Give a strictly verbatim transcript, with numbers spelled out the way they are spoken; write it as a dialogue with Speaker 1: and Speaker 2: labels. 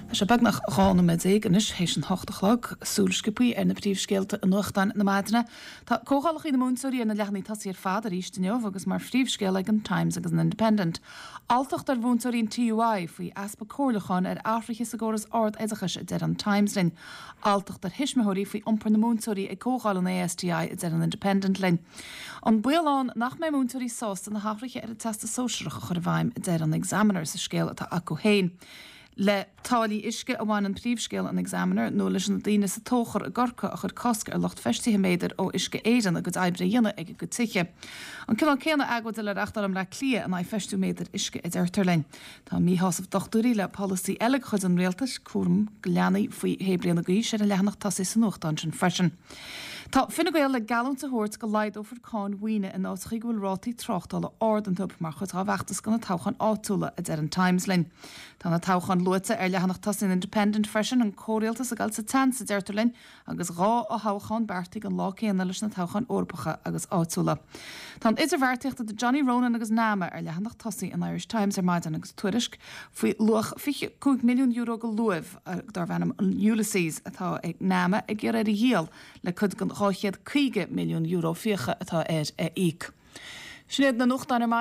Speaker 1: Tá sé beagnach dhá nóiméad déag anois théis an hocht a chlog, súil sciobtha ar na príomhscéalta i nuachtáin na maidine. Tá comhdhálacha na múinteoirí ar na leathanaigh tosaigh ar fad arís inniu agus mar phríomhscéal ag an Times agus an Independent. Alltacht ar mhúinteoirí an TUI faoi easpa comhairliúcháin ar athruithe sa gcóras ard-oideachais a deir an Times linn. Alltacht ar thuismitheoirí faoi iompar na múinteoirí ag comhdháil an ASTI a deir an Independent linn. An baol ann nach mbeidh múinteoirí sásta na hathruithe ar an Teastas Sóisearach a chur i bhfeidhm a deir an Examiner sa scéal atá acu féin. Le táillí uisce a bhain an príomhscéal an Examiner nó leis na daoine sa Tóchar i gCorcaigh a chuir cosc ar lucht feistithe méadair ó Uisce Éireann a gcuid oibre a dhéanamh ag a gcuid tithe. An cineál céanna agóide le reáchtáil i mBleá Cliath in aghaidh feistiú méadair uisce a deirtear linn. Tá míshásamh dochtúirí le polasaí eile de chuid an rialtais cúram do leanaí faoi shé bliana d'aois ar an leathanach tosaigh sa nuachtán sin freisin. Tá Fine Gael le geallúint a thabhairt go laghdófar cáin mhaoine in áiteacha go bhfuil rátaí tráchtála ard iontu mar chuid dá bhfeachtas do na toghcháin áitiúla a deir an Times linn. Tá na toghcháin luaite ar leathanach tosaigh an Independent freisin an comhrialtas ag dul sa tseans a deirtear linn agus dhá fhothoghchán beartaithe an lá céanna leis na toghcháin Eorpacha agus áitiúla. Tá an idirbheartaíocht idir Johnny Ronan agus NAMA ar leathanach tosaigh an Irish Times ar maidin agus tuairisc faoi luach fiche cúig milliún euro de luamh darb ainm an Ulysses atá ag NAMA ag iarraidh a dhíol le cuid den dhá chéad caoga milliún euro fiacha atá air a íoc. Sin iad na nuachtáin ar maidin.